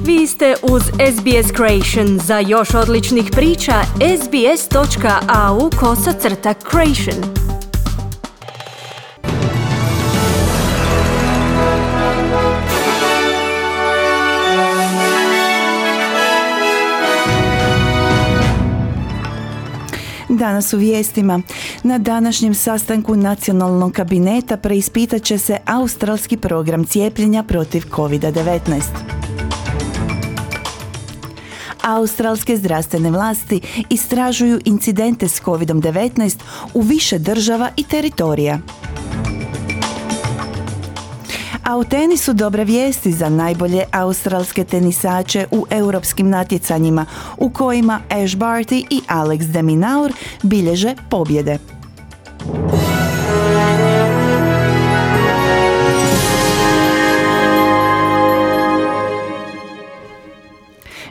Vi ste uz SBS Creation. Za još odličnih priča, sbs.au/creation. Danas u vijestima. Na današnjem sastanku nacionalnog kabineta preispitat će se australski program cijepljenja protiv COVID-19. Australske zdravstvene vlasti istražuju incidente s COVID-19 u više država i teritorija. A u tenisu dobre vijesti za najbolje australske tenisače u europskim natjecanjima, u kojima Ash Barty i Alex de Minaur bilježe pobjede.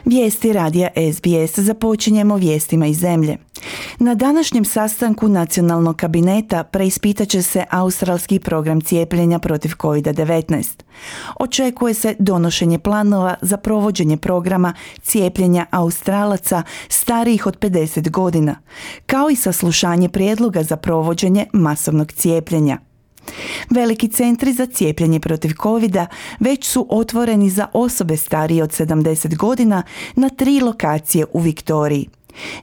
Vijesti radija SBS. Započinjemo vijestima iz zemlje. Na današnjem sastanku nacionalnog kabineta preispitat će se australski program cijepljenja protiv COVID-19. Očekuje se donošenje planova za provođenje programa cijepljenja Australaca starijih od 50 godina, kao i saslušanje prijedloga za provođenje masovnog cijepljenja. Veliki centri za cijepljenje protiv covida već su otvoreni za osobe starije od 70 godina na 3 lokacije u Viktoriji.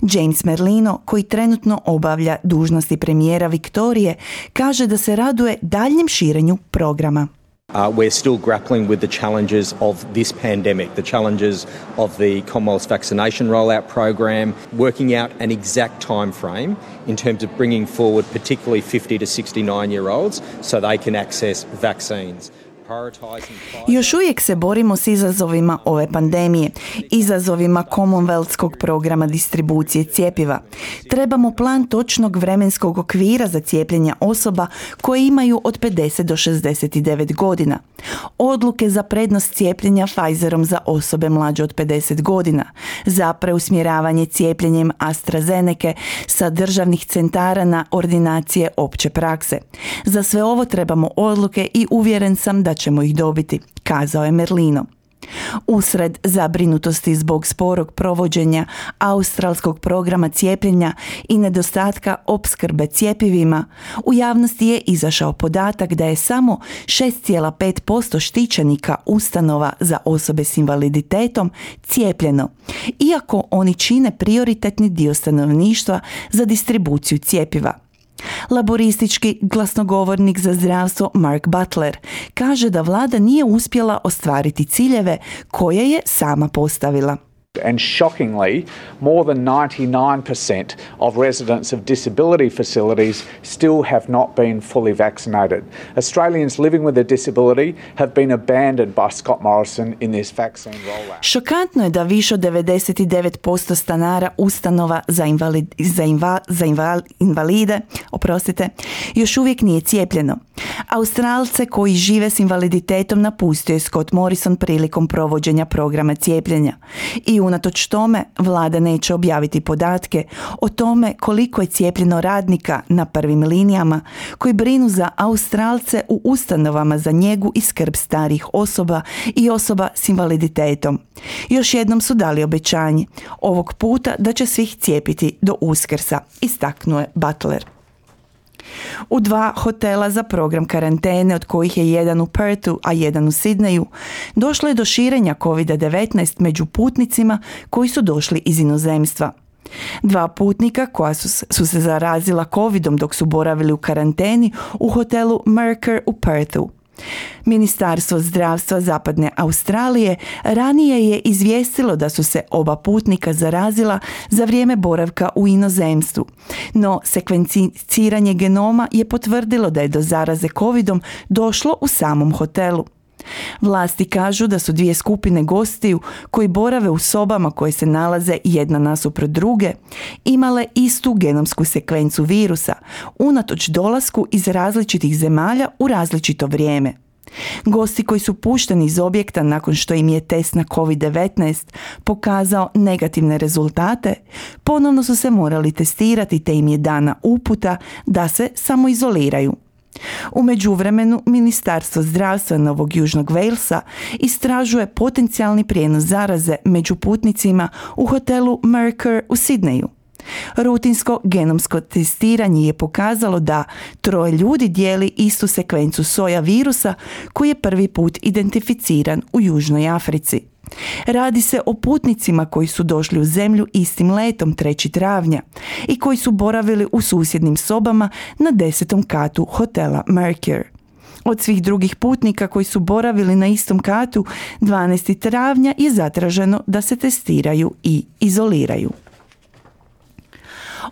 James Merlino, koji trenutno obavlja dužnosti premijera Viktorije, kaže da se raduje daljnjem širenju programa. We're still grappling with the challenges of this pandemic, the challenges of the Commonwealth vaccination rollout program, working out an exact time frame in terms of bringing forward particularly 50 to 69-year-olds so they can access vaccines. Još uvijek se borimo s izazovima ove pandemije, izazovima Commonwealthskog programa distribucije cjepiva. Trebamo plan točnog vremenskog okvira za cijepljenje osoba koje imaju od 50 do 69 godina. Odluke za prednost cijepljenja Pfizerom za osobe mlađe od 50 godina, za preusmjeravanje cijepljenjem AstraZeneca sa državnih centara na ordinacije opće prakse. Za sve ovo trebamo odluke i uvjeren sam da ćemo ih dobiti, kazao je Merlino. Usred zabrinutosti zbog sporog provođenja australskog programa cijepljenja i nedostatka opskrbe cjepivima, u javnosti je izašao podatak da je samo 6,5% štićenika ustanova za osobe s invaliditetom cijepljeno, iako oni čine prioritetni dio stanovništva za distribuciju cjepiva. Laboristički glasnogovornik za zdravstvo Mark Butler kaže da vlada nije uspjela ostvariti ciljeve koje je sama postavila. And shockingly, more than 99% of residents of disability facilities still have not been fully vaccinated. Australians living with a disability have been abandoned by Scott Morrison in this vaccine rollout. Šokantno je da više od 99% stanara ustanova za invalide, još uvijek nije cijepljeno. Australce koji žive s invaliditetom napustio je Scott Morrison prilikom provođenja programa cijepljenja. I unatoč tome, vlada neće objaviti podatke o tome koliko je cijepljeno radnika na prvim linijama koji brinu za Australce u ustanovama za njegu i skrb starijih osoba i osoba s invaliditetom. Još jednom su dali obećanje, ovog puta da će svih cijepiti do Uskrsa, istaknuo je Butler. U 2 hotela za program karantene, od kojih je jedan u Perthu, a jedan u Sidneju, došlo je do širenja COVID-19 među putnicima koji su došli iz inozemstva. 2 putnika koja su se zarazila covidom dok su boravili u karanteni u hotelu Mercer u Perthu. Ministarstvo zdravstva Zapadne Australije ranije je izvijestilo da su se oba putnika zarazila za vrijeme boravka u inozemstvu, no sekvenciranje genoma je potvrdilo da je do zaraze covidom došlo u samom hotelu. Vlasti kažu da su 2 skupine gostiju koji borave u sobama koje se nalaze jedna nasuprot druge imale istu genomsku sekvencu virusa, unatoč dolasku iz različitih zemalja u različito vrijeme. Gosti koji su pušteni iz objekta nakon što im je test na COVID-19 pokazao negativne rezultate, ponovno su se morali testirati te im je dana uputa da se samoizoliraju. U međuvremenu, Ministarstvo zdravstva Novog Južnog Walesa istražuje potencijalni prijenos zaraze među putnicima u hotelu Mercure u Sidneju. Rutinsko genomsko testiranje je pokazalo da 3 ljudi dijeli istu sekvencu soja virusa koji je prvi put identificiran u Južnoj Africi. Radi se o putnicima koji su došli u zemlju istim letom 3. travnja i koji su boravili u susjednim sobama na 10. katu hotela Mercure. Od svih drugih putnika koji su boravili na istom katu 12. travnja je zatraženo da se testiraju i izoliraju.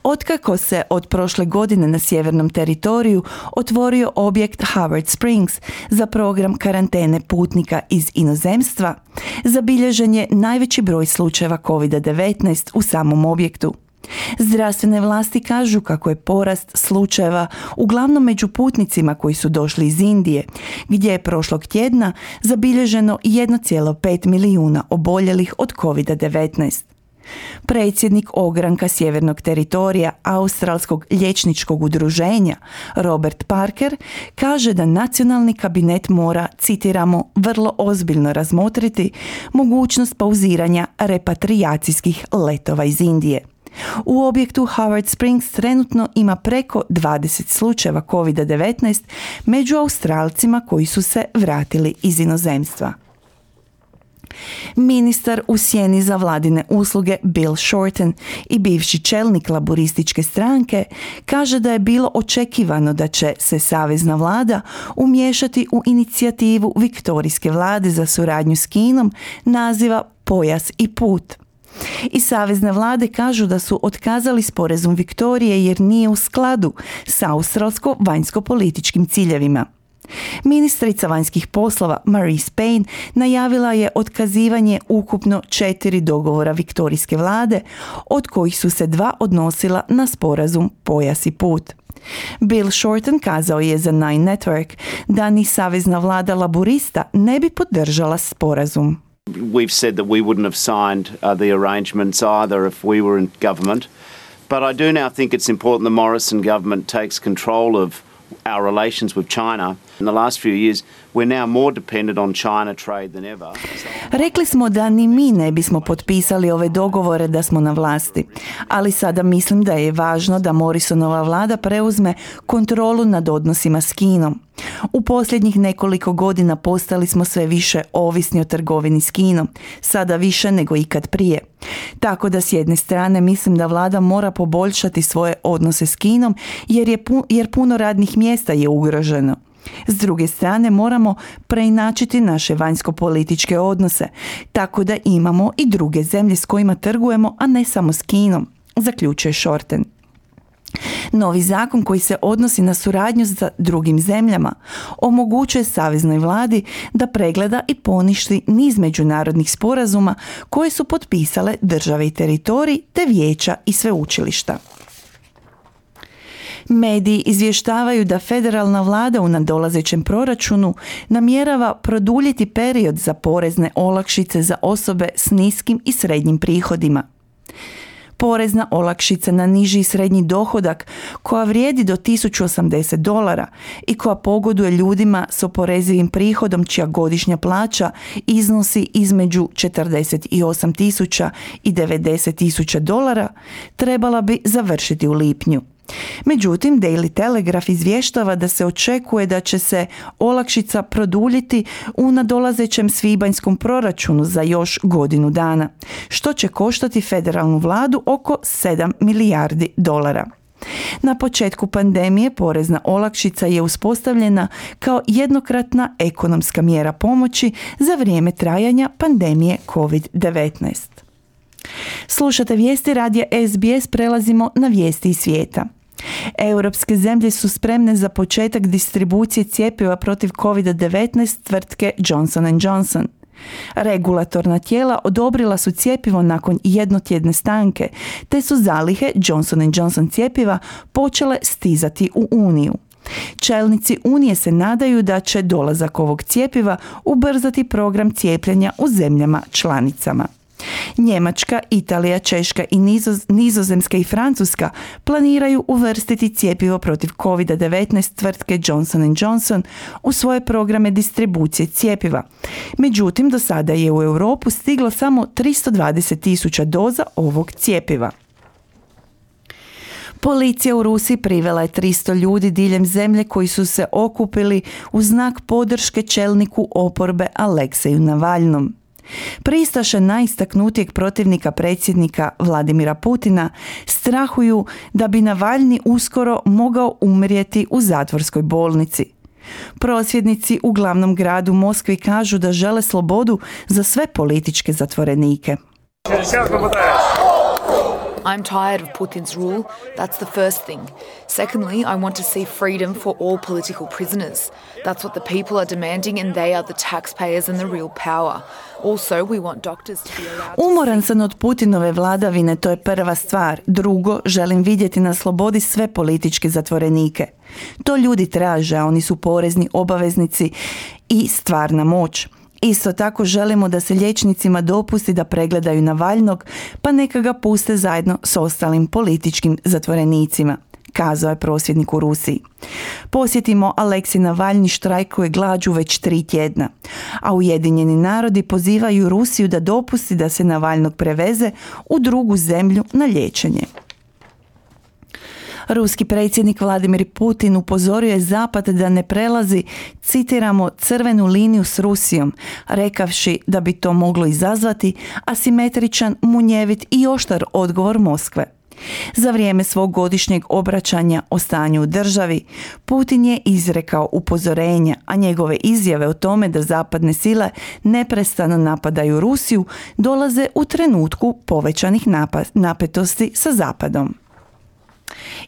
Otkako se od prošle godine na sjevernom teritoriju otvorio objekt Howard Springs za program karantene putnika iz inozemstva, zabilježen je najveći broj slučajeva COVID-19 u samom objektu. Zdravstvene vlasti kažu kako je porast slučajeva uglavnom među putnicima koji su došli iz Indije, gdje je prošlog tjedna zabilježeno 1,5 milijuna oboljelih od COVID-19. Predsjednik ogranka sjevernog teritorija Australskog liječničkog udruženja Robert Parker kaže da nacionalni kabinet mora, citiramo, vrlo ozbiljno razmotriti mogućnost pauziranja repatrijacijskih letova iz Indije. U objektu Howard Springs trenutno ima preko 20 slučajeva COVID-19 među Australcima koji su se vratili iz inozemstva. Ministar u sjeni za vladine usluge Bill Shorten i bivši čelnik laburističke stranke kaže da je bilo očekivano da će se savezna vlada umiješati u inicijativu viktorijske vlade za suradnju s Kinom naziva Pojas i put. I savezne vlade kažu da su otkazali sporazum Viktorije jer nije u skladu s australsko-vanjsko-političkim ciljevima. Ministrica vanjskih poslova Marise Payne najavila je otkazivanje ukupno 4 dogovora viktorijske vlade, od kojih su se 2 odnosila na sporazum Pojas i put. Bill Shorten kazao je za Nine Network da ni savezna vlada laburista ne bi podržala sporazum. We've said that we wouldn't have signed the arrangements either if we were in government, but I do now think it's important the Morrison government takes control of our relations with China. In the last few years, we're now more dependent on China trade than ever. Rekli smo da ni mi ne bismo potpisali ove dogovore da smo na vlasti, ali sada mislim da je važno da Morrisonova vlada preuzme kontrolu nad odnosima s Kinom. U posljednjih nekoliko godina postali smo sve više ovisni o trgovini s Kinom, sada više nego ikad prije. Tako da s jedne strane mislim da vlada mora poboljšati svoje odnose s Kinom jer puno radnih mjesta je ugroženo. S druge strane moramo preinačiti naše vanjsko-političke odnose, tako da imamo i druge zemlje s kojima trgujemo, a ne samo s Kinom, zaključuje Shorten. Novi zakon koji se odnosi na suradnju sa drugim zemljama omogućuje saveznoj vladi da pregleda i poništi niz međunarodnih sporazuma koje su potpisale države i teritoriji te vijeća i sveučilišta. Mediji izvještavaju da federalna vlada u nadolazećem proračunu namjerava produljiti period za porezne olakšice za osobe s niskim i srednjim prihodima. Porezna olakšica na niži i srednji dohodak koja vrijedi do $1.080 i koja pogoduje ljudima s oporezivim prihodom čija godišnja plaća iznosi između $48,000 i $90,000 trebala bi završiti u lipnju. Međutim, Daily Telegraph izvještava da se očekuje da će se olakšica produljiti u nadolazećem svibanjskom proračunu za još godinu dana, što će koštati federalnu vladu oko $7 milijardi. Na početku pandemije porezna olakšica je uspostavljena kao jednokratna ekonomska mjera pomoći za vrijeme trajanja pandemije COVID-19. Slušate vijesti radija SBS, prelazimo na vijesti iz svijeta. Europske zemlje su spremne za početak distribucije cjepiva protiv COVID-19 tvrtke Johnson & Johnson. Regulatorna tijela odobrila su cjepivo nakon jednotjedne stanke, te su zalihe Johnson & Johnson cjepiva počele stizati u Uniju. Čelnici Unije se nadaju da će dolazak ovog cjepiva ubrzati program cijepljenja u zemljama članicama. Njemačka, Italija, Češka i Nizozemska i Francuska planiraju uvrstiti cjepivo protiv COVID-19 tvrtke Johnson & Johnson u svoje programe distribucije cjepiva. Međutim, do sada je u Europu stiglo samo 320.000 doza ovog cjepiva. Policija u Rusiji privela je 300 ljudi diljem zemlje koji su se okupili u znak podrške čelniku oporbe Alekseju Navalnom. Pristaše najistaknutijeg protivnika predsjednika Vladimira Putina strahuju da bi Navalni uskoro mogao umrijeti u zatvorskoj bolnici. Prosvjednici u glavnom gradu Moskvi kažu da žele slobodu za sve političke zatvorenike. I'm tired of Putin's rule. That's the first thing. Secondly, I want to see freedom for all political prisoners. That's what the people are demanding, and they are the taxpayers and the real power. Also, we want doctors to be allowed to... Umoran sam od Putinove vladavine, to je prva stvar. Drugo, želim vidjeti na slobodi sve političke zatvorenike. To ljudi traže, a oni su porezni obaveznici i stvarna moć. Isto tako želimo da se liječnicima dopusti da pregledaju Navalnog, pa neka ga puste zajedno s ostalim političkim zatvorenicima, kazao je prosvjednik u Rusiji. Posjetimo, Aleksej Navalni štrajkuje glađu već 3 tjedna, a Ujedinjeni narodi pozivaju Rusiju da dopusti da se Navalnog preveze u drugu zemlju na liječenje. Ruski predsjednik Vladimir Putin upozorio je Zapad da ne prelazi, citiramo, crvenu liniju s Rusijom, rekavši da bi to moglo izazvati asimetričan, munjevit i oštar odgovor Moskve. Za vrijeme svog godišnjeg obraćanja o stanju u državi, Putin je izrekao upozorenja, a njegove izjave o tome da zapadne sile neprestano napadaju Rusiju dolaze u trenutku povećanih napetosti sa Zapadom.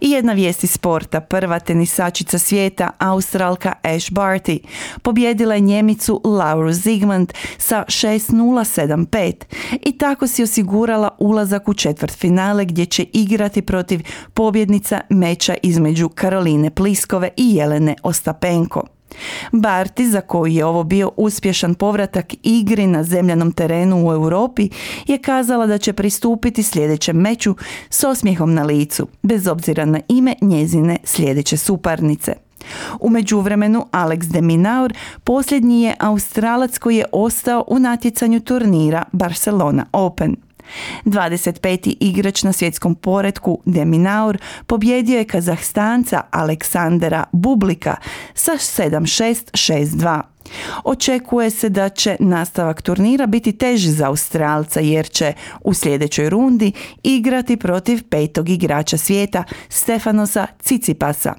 I jedna vijest iz sporta. Prva tenisačica svijeta, Australka Ash Barty, pobijedila je Njemicu Lauru Zigmund sa 6-0-7-5 i tako si osigurala ulazak u četvrtfinale gdje će igrati protiv pobjednica meča između Karoline Pliskove i Jelene Ostapenko. Barty, za koju je ovo bio uspješan povratak igri na zemljanom terenu u Europi, je kazala da će pristupiti sljedećem meču s osmijehom na licu, bez obzira na ime njezine sljedeće suparnice. U međuvremenu Alex de Minaur posljednji je Australac koji je ostao u natjecanju turnira Barcelona Open. 25. igrač na svjetskom poretku de Minaur pobjedio je Kazahstanca Aleksandra Bublika sa 7-6-6-2. Očekuje se da će nastavak turnira biti teži za Australca jer će u sljedećoj rundi igrati protiv 5. igrača svijeta Stefanosa Tsitsipasa.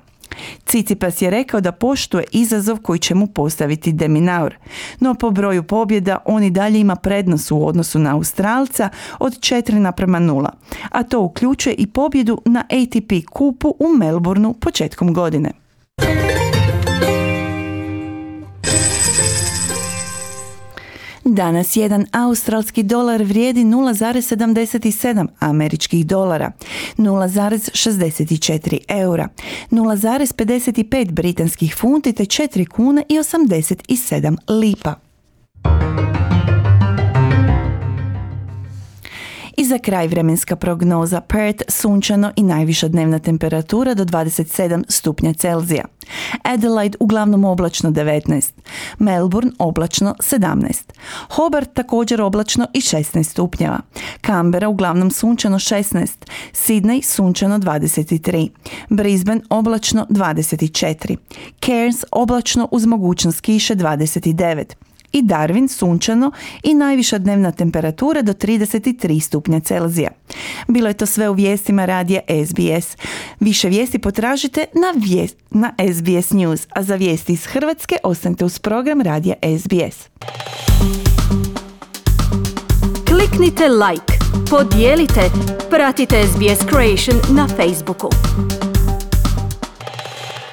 Tsitsipas je rekao da poštuje izazov koji će mu postaviti de Minaur, no po broju pobjeda on i dalje ima prednost u odnosu na Australca od 4-0, a to uključuje i pobjedu na ATP kupu u Melbourneu početkom godine. Danas jedan australski dolar vrijedi 0,77 američkih dolara, 0,64 eura, 0,55 britanskih funti te 4 kune i 87 lipa. I za kraj vremenska prognoza. Perth sunčano i najviša dnevna temperatura do 27 stupnja Celzija. Adelaide uglavnom oblačno 19. Melbourne oblačno 17. Hobart također oblačno i 16 stupnjeva. Canberra uglavnom sunčano 16. Sydney sunčano 23. Brisbane oblačno 24. Cairns oblačno uz mogućnost kiše 29. I Darwin sunčano i najviša dnevna temperatura do 33 stupnja Celzija. Bilo je to sve u vijestima radija SBS. Više vijesti potražite na SBS News, a za vijesti iz Hrvatske ostanite uz program radija SBS. Kliknite like, podijelite, pratite SBS Creation na Facebooku.